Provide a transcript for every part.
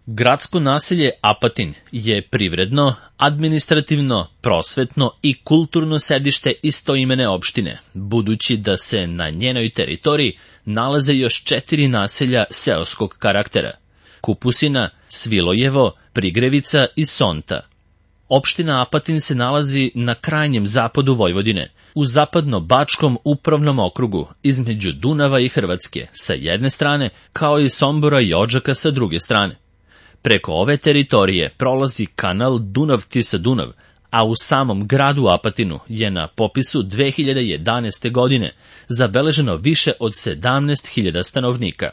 Gradsko naselje Apatin je privredno, administrativno, prosvetno i kulturno sedište istoimene opštine, budući da se na njenoj teritoriji nalaze još 4 naselja seoskog karaktera: Kupusina, Svilojevo, Prigrevica i Sonta. Opština Apatin se nalazi na krajnjem zapadu Vojvodine, u zapadno-bačkom upravnom okrugu, između Dunava i Hrvatske sa jedne strane, kao i Sombora i Odžaka sa druge strane. Preko ove teritorije prolazi kanal Dunav-Tisa-Dunav, a u samom gradu Apatinu je na popisu 2011. godine zabeleženo više od 17.000 stanovnika.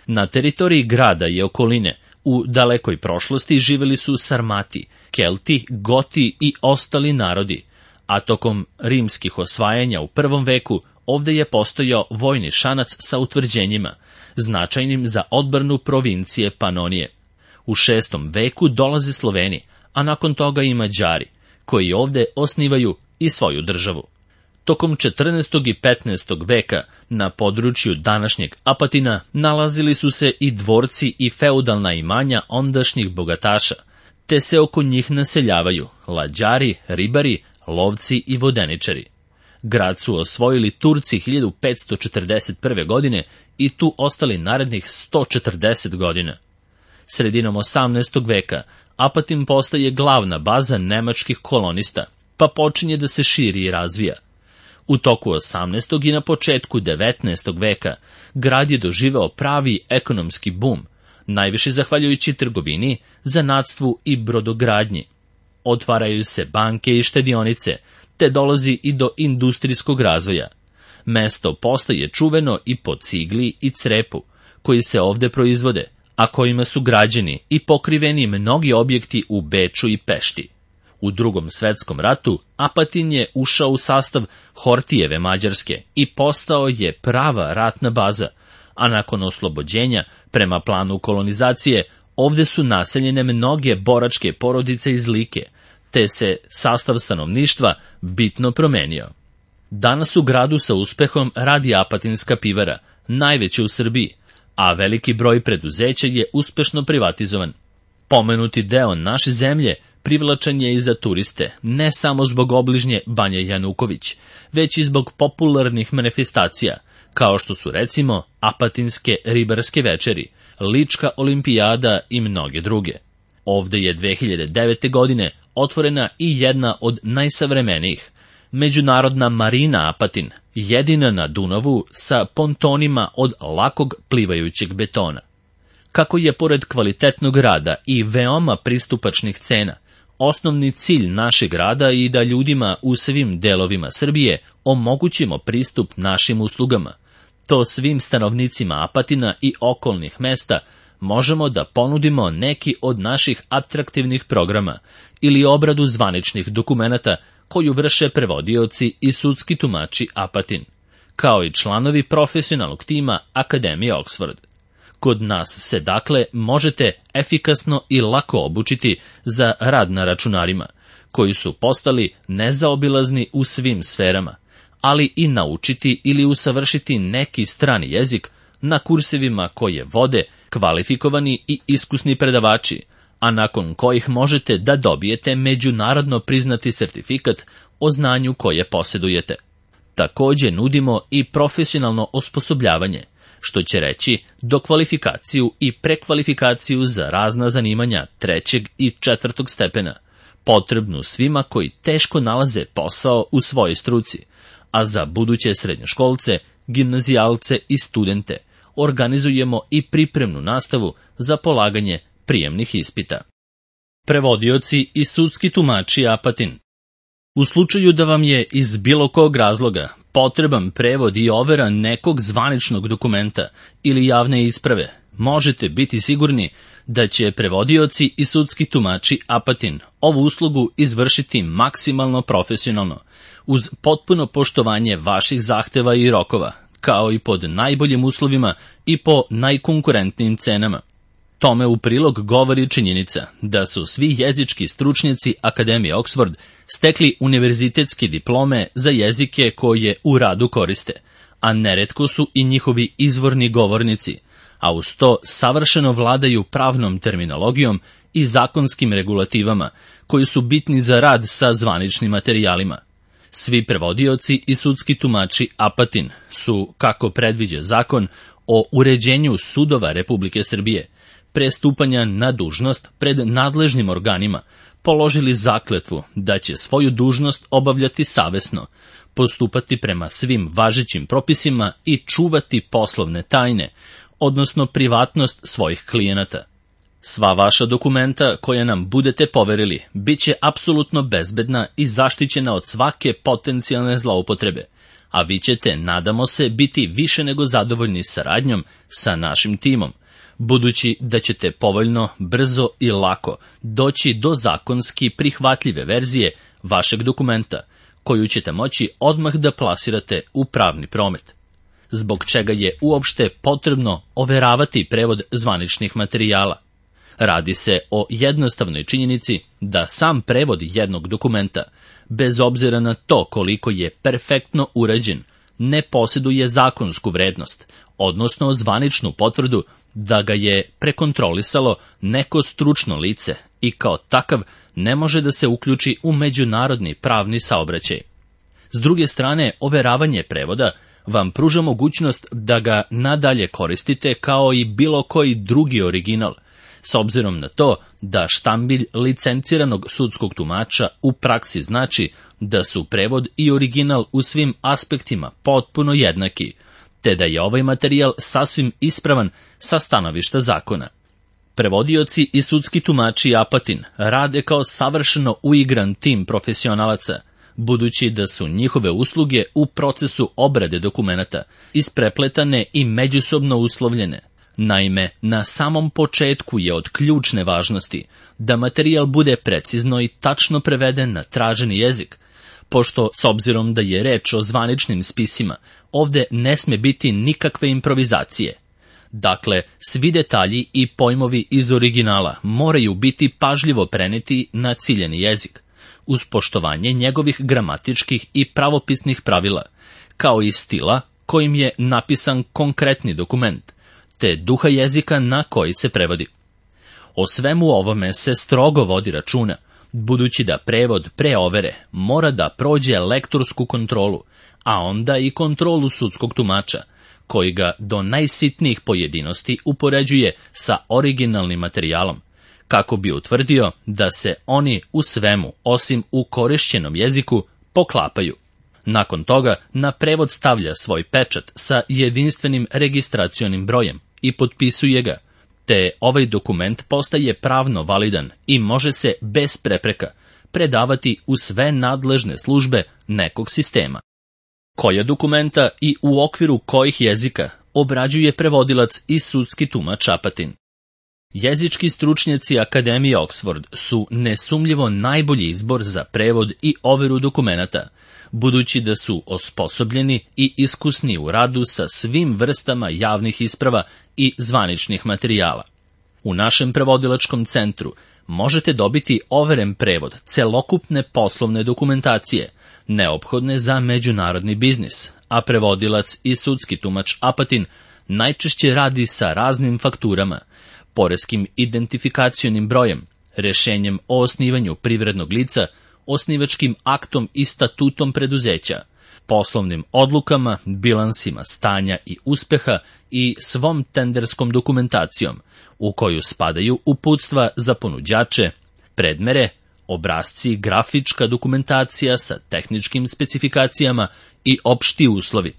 Na teritoriji grada i okoline u dalekoj prošlosti živeli su Sarmati, Kelti, Goti i ostali narodi, a tokom rimskih osvajanja u 1. veku ovde je postojao vojni šanac sa utvrđenjima, značajnim za odbranu provincije Panonije. U 6. veku dolaze Sloveni, a nakon toga i Mađari, koji ovde osnivaju i svoju državu. Tokom 14. i 15. veka na području današnjeg Apatina nalazili su se i dvorci i feudalna imanja ondašnjih bogataša, te se oko njih naseljavaju lađari, ribari, lovci i vodeničari. Grad su osvojili Turci 1541. godine i tu ostali narednih 140 godina. Sredinom 18. veka Apatin postaje glavna baza nemačkih kolonista, pa počinje da se širi i razvija. U toku 18. i na početku 19. veka grad je doživeo pravi ekonomski bum, najviše zahvaljujući trgovini, zanatstvu i brodogradnji. Otvaraju se banke i štedionice, te dolazi i do industrijskog razvoja. Mesto postaje čuveno i po cigli i crepu, koji se ovde proizvode, a kojima su građeni i pokriveni mnogi objekti u Beču i Pešti. U Drugom svetskom ratu Apatin je ušao u sastav Hortijeve Mađarske i postao je prava ratna baza, a nakon oslobođenja, prema planu kolonizacije, ovde su naseljene mnoge boračke porodice iz Like, te se sastav stanovništva bitno promenio. Danas u gradu sa uspehom radi Apatinska pivara, najveća u Srbiji, a veliki broj preduzeća je uspešno privatizovan. Pomenuti deo naše zemlje privlačan je i za turiste, ne samo zbog obližnje Banje Januković, već i zbog popularnih manifestacija, kao što su recimo Apatinske ribarske večeri, Lička olimpijada i mnoge druge. Ovde je 2009. godine otvorena i jedna od najsavremenijih, Međunarodna marina Apatin, jedina na Dunavu sa pontonima od lakog plivajućeg betona. Kako je pored kvalitetnog rada i veoma pristupačnih cena, osnovni cilj našeg rada i da ljudima u svim delovima Srbije omogućimo pristup našim uslugama, to svim stanovnicima Apatina i okolnih mesta možemo da ponudimo neki od naših atraktivnih programa ili obradu zvaničnih dokumenata koju vrše prevodioci i sudski tumači Apatin, kao i članovi profesionalnog tima Akademije Oxford. Kod nas se dakle možete efikasno i lako obučiti za rad na računarima, koji su postali nezaobilazni u svim sferama, ali i naučiti ili usavršiti neki strani jezik na kursevima koje vode kvalifikovani i iskusni predavači, a nakon kojih možete da dobijete međunarodno priznati sertifikat o znanju koje posjedujete. Takođe nudimo i profesionalno osposobljavanje, što će reći dokvalifikaciju i prekvalifikaciju za razna zanimanja 3. i 4. stepena, potrebnu svima koji teško nalaze posao u svojoj struci, a za buduće srednjoškolce, gimnazijalce i studente organizujemo i pripremnu nastavu za polaganje prijemnih ispita. Prevodioci i sudski tumači Apatin. U slučaju da vam je iz bilo kog razloga potreban prevod i overa nekog zvaničnog dokumenta ili javne isprave, možete biti sigurni da će prevodioci i sudski tumači Apatin ovu uslugu izvršiti maksimalno profesionalno, uz potpuno poštovanje vaših zahteva i rokova, kao i pod najboljim uslovima i po najkonkurentnijim cenama. Tome u prilog govori činjenica da su svi jezički stručnjaci Akademije Oxford stekli univerzitetske diplome za jezike koje u radu koriste, a neretko su i njihovi izvorni govornici, a uz to savršeno vladaju pravnom terminologijom i zakonskim regulativama, koji su bitni za rad sa zvaničnim materijalima. Svi prevodioci i sudski tumači Apatin su, kako predviđa zakon o uređenju sudova Republike Srbije, pre stupanja na dužnost pred nadležnim organima, položili zakletvu da će svoju dužnost obavljati savesno, postupati prema svim važećim propisima i čuvati poslovne tajne, odnosno privatnost svojih klijenata. Sva vaša dokumenta koja nam budete poverili bit će apsolutno bezbedna i zaštićena od svake potencijalne zloupotrebe, a vi ćete, nadamo se, biti više nego zadovoljni saradnjom sa našim timom, budući da ćete povoljno, brzo i lako doći do zakonski prihvatljive verzije vašeg dokumenta, koju ćete moći odmah da plasirate u pravni promet. Zbog čega je uopšte potrebno overavati prevod zvaničnih materijala? Radi se o jednostavnoj činjenici da sam prevod jednog dokumenta, bez obzira na to koliko je perfektno urađen, ne posjeduje zakonsku vrednost, odnosno zvaničnu potvrdu da ga je prekontrolisalo neko stručno lice i kao takav ne može da se uključi u međunarodni pravni saobraćaj. S druge strane, overavanje prevoda vam pruža mogućnost da ga nadalje koristite kao i bilo koji drugi original, s obzirom na to da štambilj licenciranog sudskog tumača u praksi znači da su prevod i original u svim aspektima potpuno jednaki, te da je ovaj materijal sasvim ispravan sa stanovišta zakona. Prevodioci i sudski tumači Apatin rade kao savršeno uigran tim profesionalaca, budući da su njihove usluge u procesu obrade dokumenata isprepletane i međusobno uslovljene. Naime, na samom početku je od ključne važnosti da materijal bude precizno i tačno preveden na traženi jezik, pošto, s obzirom da je reč o zvaničnim spisima, ovde ne sme biti nikakve improvizacije. Dakle, svi detalji i pojmovi iz originala moraju biti pažljivo preneti na ciljeni jezik, uz poštovanje njegovih gramatičkih i pravopisnih pravila, kao i stila kojim je napisan konkretni dokument, te duha jezika na koji se prevodi. O svemu ovome se strogo vodi računa, budući da prevod pre overe mora da prođe lektorsku kontrolu, a onda i kontrolu sudskog tumača, koji ga do najsitnijih pojedinosti upoređuje sa originalnim materijalom, kako bi utvrdio da se oni u svemu, osim u korišćenom jeziku, poklapaju. Nakon toga na prevod stavlja svoj pečat sa jedinstvenim registracionim brojem i potpisuje ga, te ovaj dokument postaje pravno validan i može se bez prepreka predavati u sve nadležne službe nekog sistema. Koja dokumenta i u okviru kojih jezika obrađuje prevodilac i sudski tumač Apatin? Jezički stručnjaci Akademije Oxford su nesumljivo najbolji izbor za prevod i overu dokumenata, budući da su osposobljeni i iskusni u radu sa svim vrstama javnih isprava i zvaničnih materijala. U našem prevodilačkom centru možete dobiti overen prevod celokupne poslovne dokumentacije, neophodne za međunarodni biznis, a prevodilac i sudski tumač Apatin najčešće radi sa raznim fakturama, poreskim identifikacionim brojem, rešenjem o osnivanju privrednog lica, osnivačkim aktom i statutom preduzeća, poslovnim odlukama, bilansima stanja i uspeha i svom tenderskom dokumentacijom, u koju spadaju uputstva za ponuđače, predmere, obrasci, grafička dokumentacija sa tehničkim specifikacijama i opšti uslovi.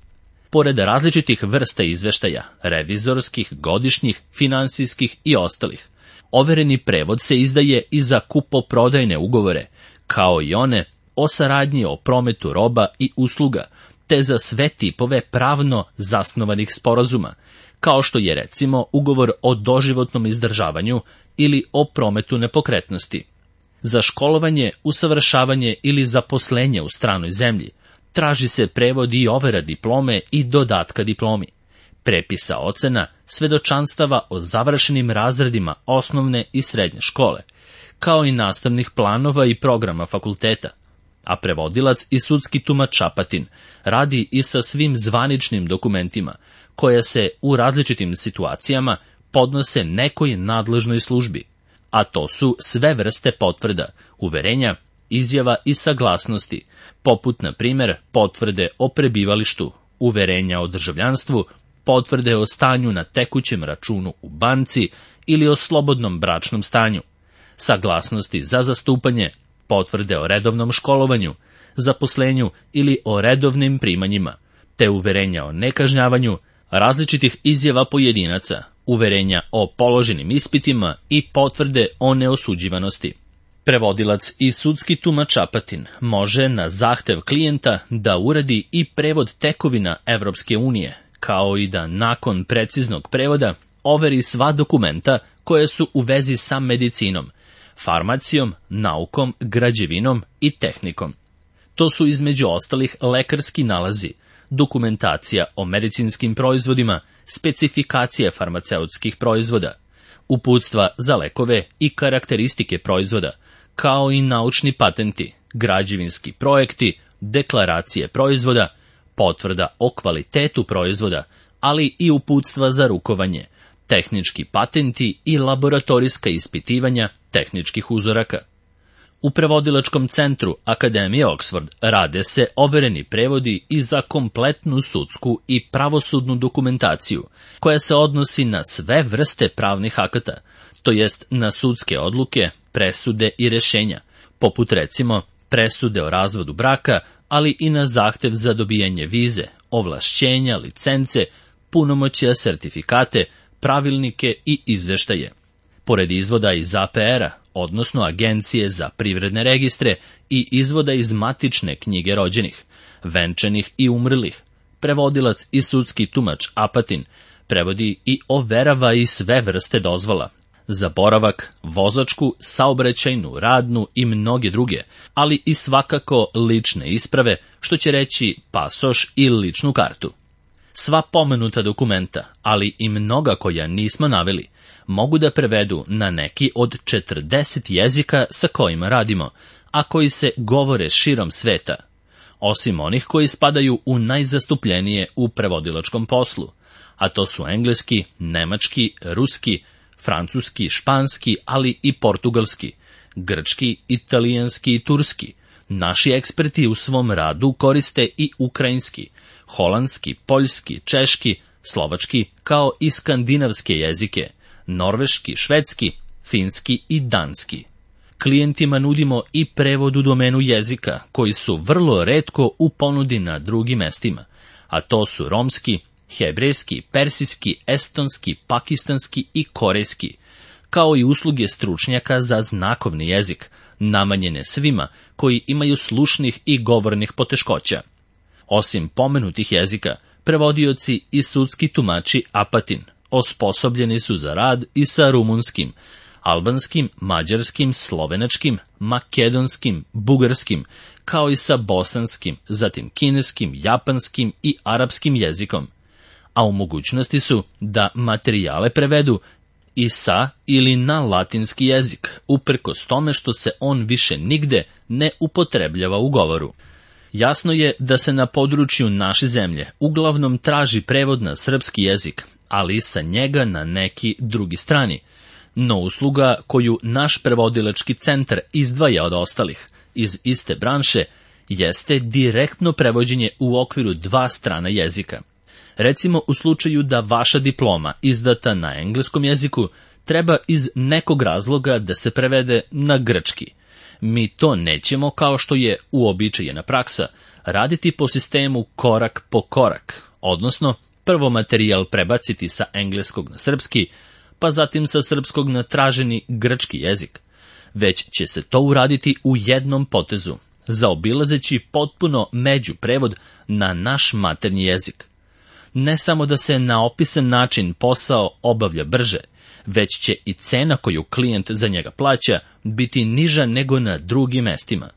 Pored različitih vrsta izveštaja, revizorskih, godišnjih, finansijskih i ostalih, overeni prevod se izdaje i za kupoprodajne ugovore, kao i one o saradnji o prometu roba i usluga, te za sve tipove pravno zasnovanih sporazuma, kao što je recimo ugovor o doživotnom izdržavanju ili o prometu nepokretnosti. Za školovanje, usavršavanje ili zaposlenje u stranoj zemlji traži se prevod i overa diplome i dodatka diplomi, prepisa ocena, svedočanstava o završenim razredima osnovne i srednje škole, kao i nastavnih planova i programa fakulteta. a prevodilac i sudski tumač Apatin radi i sa svim zvaničnim dokumentima, koja se u različitim situacijama podnose nekoj nadležnoj službi, a to su sve vrste potvrda, uverenja, izjava i saglasnosti, poput, na primjer, potvrde o prebivalištu, uverenja o državljanstvu, potvrde o stanju na tekućem računu u banci ili o slobodnom bračnom stanju, saglasnosti za zastupanje, potvrde o redovnom školovanju, zaposlenju ili o redovnim primanjima, te uverenja o nekažnjavanju, različitih izjava pojedinaca, uverenja o položenim ispitima i potvrde o neosuđivanosti. Prevodilac i sudski tumač Apatin može na zahtev klijenta da uradi i prevod tekovina Evropske unije, kao i da nakon preciznog prevoda overi sva dokumenta koje su u vezi sa medicinom, farmacijom, naukom, građevinom i tehnikom. To su između ostalih lekarski nalazi, dokumentacija o medicinskim proizvodima, specifikacije farmaceutskih proizvoda, uputstva za lekove i karakteristike proizvoda, kao i naučni patenti, građevinski projekti, deklaracije proizvoda, potvrda o kvalitetu proizvoda, ali i uputstva za rukovanje, tehnički patenti i laboratorijska ispitivanja tehničkih uzoraka. U prevodilačkom centru Akademije Oxford rade se overeni prevodi i za kompletnu sudsku i pravosudnu dokumentaciju, koja se odnosi na sve vrste pravnih akata, to jest na sudske odluke, presude i rešenja, poput recimo presude o razvodu braka, ali i na zahtev za dobijanje vize, ovlašćenja, licence, punomoćja, sertifikate, pravilnike i izveštaje. Pored izvoda iz APR-a, odnosno Agencije za privredne registre, i izvoda iz matične knjige rođenih, venčanih i umrlih, prevodilac i sudski tumač Apatin prevodi i overava i sve vrste dozvola za boravak, vozačku, saobraćajnu, radnu i mnoge druge, ali i svakako lične isprave, što će reći pasoš i ličnu kartu. Sva pomenuta dokumenta, ali i mnoga koja nismo naveli, mogu da prevedu na neki od 40 jezika sa kojima radimo, a koji se govore širom sveta, osim onih koji spadaju u najzastupljenije u prevodilačkom poslu, a to su engleski, nemački, ruski, francuski, španski, ali i portugalski, grčki, italijanski i turski. Naši eksperti u svom radu koriste i ukrajinski, holandski, poljski, češki, slovački, kao i skandinavske jezike, norveški, švedski, finski i danski. Klijentima nudimo i prevod u domenu jezika, koji su vrlo retko u ponudi na drugim mestima, a to su romski, hebrejski, persijski, estonski, pakistanski i korejski, kao i usluge stručnjaka za znakovni jezik, namenjene svima koji imaju slušnih i govornih poteškoća. Osim pomenutih jezika, prevodioci i sudski tumači Apatin osposobljeni su za rad i sa rumunskim, albanskim, mađarskim, slovenačkim, makedonskim, bugarskim, kao i sa bosanskim, zatim kineskim, japanskim i arapskim jezikom, a u mogućnosti su da materijale prevedu i sa ili na latinski jezik, uprkos tome što se on više nigde ne upotrebljava u govoru. Jasno je da se na području naše zemlje uglavnom traži prevod na srpski jezik, ali sa njega na neki drugi strani. No usluga koju naš prevodilački centar izdvaja od ostalih iz iste branše jeste direktno prevođenje u okviru dva strana jezika. Recimo u slučaju da vaša diploma izdata na engleskom jeziku treba iz nekog razloga da se prevede na grčki. Mi to nećemo, kao što je uobičajena praksa, raditi po sistemu korak po korak, odnosno prvo materijal prebaciti sa engleskog na srpski, pa zatim sa srpskog na traženi grčki jezik, već će se to uraditi u jednom potezu, zaobilazeći potpuno međuprevod na naš maternji jezik. Ne samo da se na opisan način posao obavlja brže, već će i cena koju klijent za njega plaća biti niža nego na drugim mestima.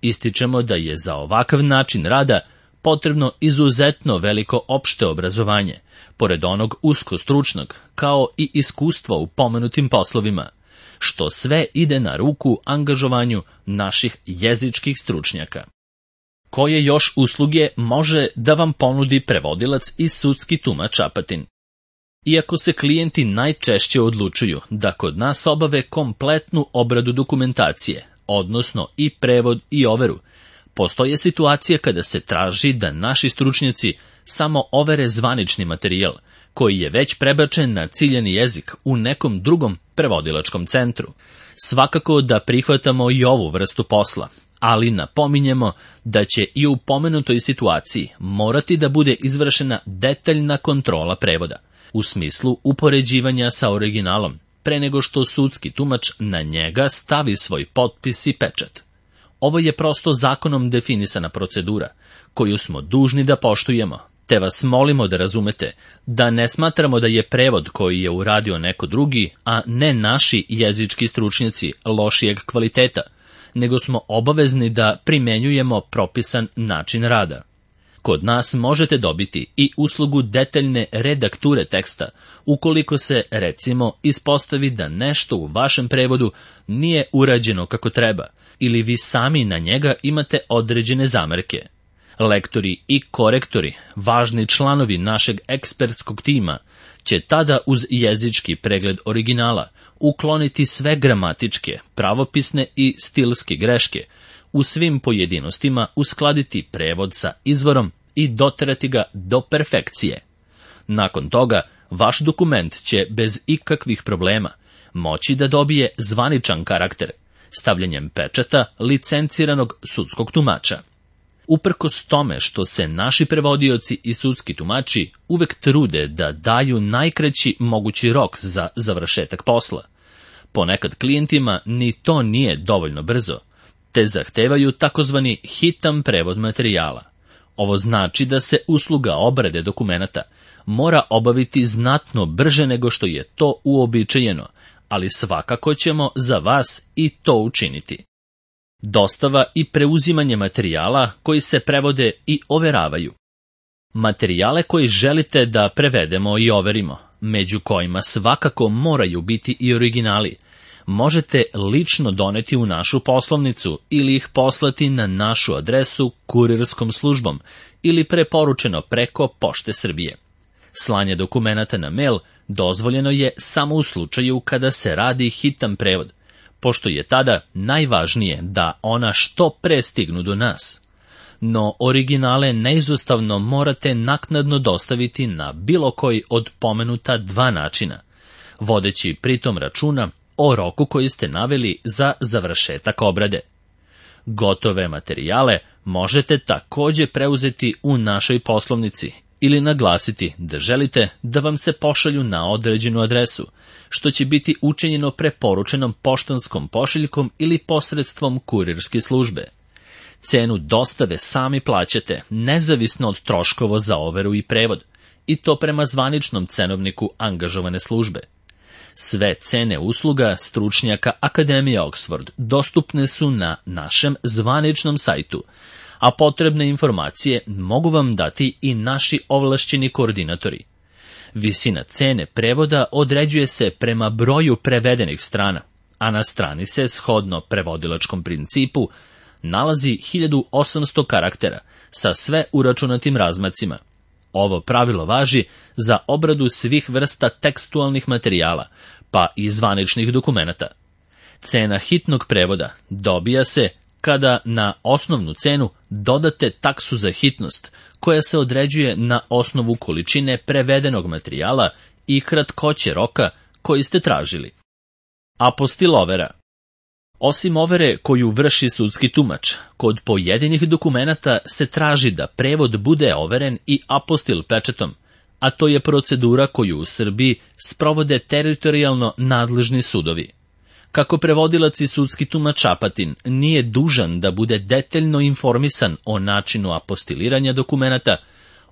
Ističemo da je za ovakav način rada potrebno izuzetno veliko opšte obrazovanje, pored onog usko stručnog, kao i iskustva u pomenutim poslovima, što sve ide na ruku angažovanju naših jezičkih stručnjaka. Koje još usluge može da vam ponudi prevodilac i sudski tumač Apatin? Iako se klijenti najčešće odlučuju da kod nas obave kompletnu obradu dokumentacije, odnosno i prevod i overu, postoje situacije kada se traži da naši stručnjaci samo overe zvanični materijal, koji je već prebačen na ciljani jezik u nekom drugom prevodilačkom centru. Svakako da prihvatamo i ovu vrstu posla, ali napominjemo da će i u pomenutoj situaciji morati da bude izvršena detaljna kontrola prevoda, u smislu upoređivanja sa originalom, pre nego što sudski tumač na njega stavi svoj potpis i pečat. Ovo je prosto zakonom definisana procedura, koju smo dužni da poštujemo, te vas molimo da razumete da ne smatramo da je prevod koji je uradio neko drugi, a ne naši jezički stručnjaci, lošijeg kvaliteta, nego smo obavezni da primenjujemo propisan način rada. Kod nas možete dobiti i uslugu detaljne redakture teksta, ukoliko se, recimo, ispostavi da nešto u vašem prevodu nije urađeno kako treba, ili vi sami na njega imate određene zamerke. Lektori i korektori, važni članovi našeg ekspertskog tima, će tada uz jezički pregled originala ukloniti sve gramatičke, pravopisne i stilske greške, u svim pojedinostima uskladiti prevod sa izvorom i doterati ga do perfekcije. Nakon toga, vaš dokument će bez ikakvih problema moći da dobije zvaničan karakter, stavljanjem pečata licenciranog sudskog tumača. Uprkos tome što se naši prevodioci i sudski tumači uvek trude da daju najkraći mogući rok za završetak posla, ponekad klijentima ni to nije dovoljno brzo, te zahtevaju takozvani hitan prevod materijala. Ovo znači da se usluga obrade dokumenata mora obaviti znatno brže nego što je to uobičajeno, ali svakako ćemo za vas i to učiniti. Dostava i preuzimanje materijala koji se prevode i overavaju. Materijale koji želite da prevedemo i overimo, među kojima svakako moraju biti i originali, možete lično doneti u našu poslovnicu ili ih poslati na našu adresu kurirskom službom ili preporučeno preko Pošte Srbije. Slanje dokumenata na mail dozvoljeno je samo u slučaju kada se radi hitan prevod, pošto je tada najvažnije da ona što pre stignu do nas. No originale neizostavno morate naknadno dostaviti na bilo koji od pomenuta dva načina, vodeći pritom računa o roku koji ste naveli za završetak obrade. Gotove materijale možete takođe preuzeti u našoj poslovnici ili naglasiti da želite da vam se pošalju na određenu adresu, što će biti učinjeno preporučenom poštanskom pošiljkom ili posredstvom kurirske službe. Cenu dostave sami plaćate, nezavisno od troškova za overu i prevod, i to prema zvaničnom cenovniku angažovane službe. Sve cene usluga stručnjaka Akademije Oxford dostupne su na našem zvaničnom sajtu, a potrebne informacije mogu vam dati i naši ovlašćeni koordinatori. Visina cene prevoda određuje se prema broju prevedenih strana, a na strani se, shodno prevodilačkom principu, nalazi 1800 karaktera sa sve uračunatim razmacima. Ovo pravilo važi za obradu svih vrsta tekstualnih materijala, pa i zvaničnih dokumenata. Cena hitnog prevoda dobija se kada na osnovnu cenu dodate taksu za hitnost, koja se određuje na osnovu količine prevedenog materijala i kratkoće roka koji ste tražili. Apostil overa. Osim overe koju vrši sudski tumač, kod pojedinih dokumenata se traži da prevod bude overen i apostil pečatom, a to je procedura koju u Srbiji sprovode teritorijalno nadležni sudovi. Kako prevodilac i sudski tumač Apatin nije dužan da bude detaljno informisan o načinu apostiliranja dokumenata,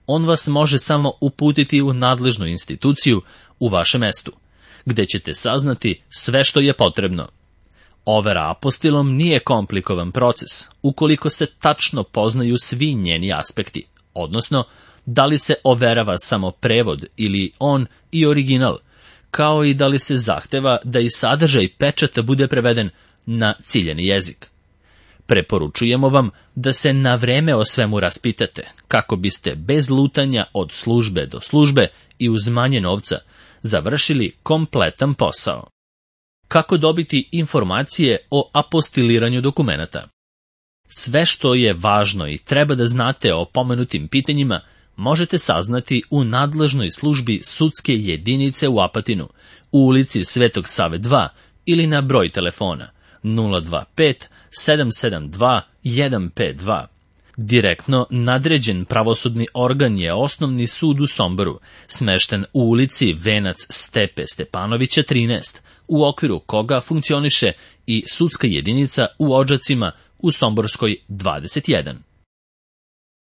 on vas može samo uputiti u nadležnu instituciju u vašem mestu, gde ćete saznati sve što je potrebno. Overa apostilom nije komplikovan proces, ukoliko se tačno poznaju svi njeni aspekti, odnosno da li se overava samo prevod ili on i original, kao i da li se zahteva da i sadržaj pečata bude preveden na ciljani jezik. Preporučujemo vam da se na vreme o svemu raspitate, kako biste bez lutanja od službe do službe i uz manje novca završili kompletan posao. Kako dobiti informacije o apostiliranju dokumenata? Sve što je važno i treba da znate o pomenutim pitanjima možete saznati u nadležnoj službi sudske jedinice u Apatinu, u ulici Svetog Save 2 ili na broj telefona 025 772 152. Direktno nadređen pravosudni organ je Osnovni sud u Somboru, smešten u ulici Venac Stepe Stepanovića 13, u okviru koga funkcioniše i sudska jedinica u Odžacima u Somborskoj 21.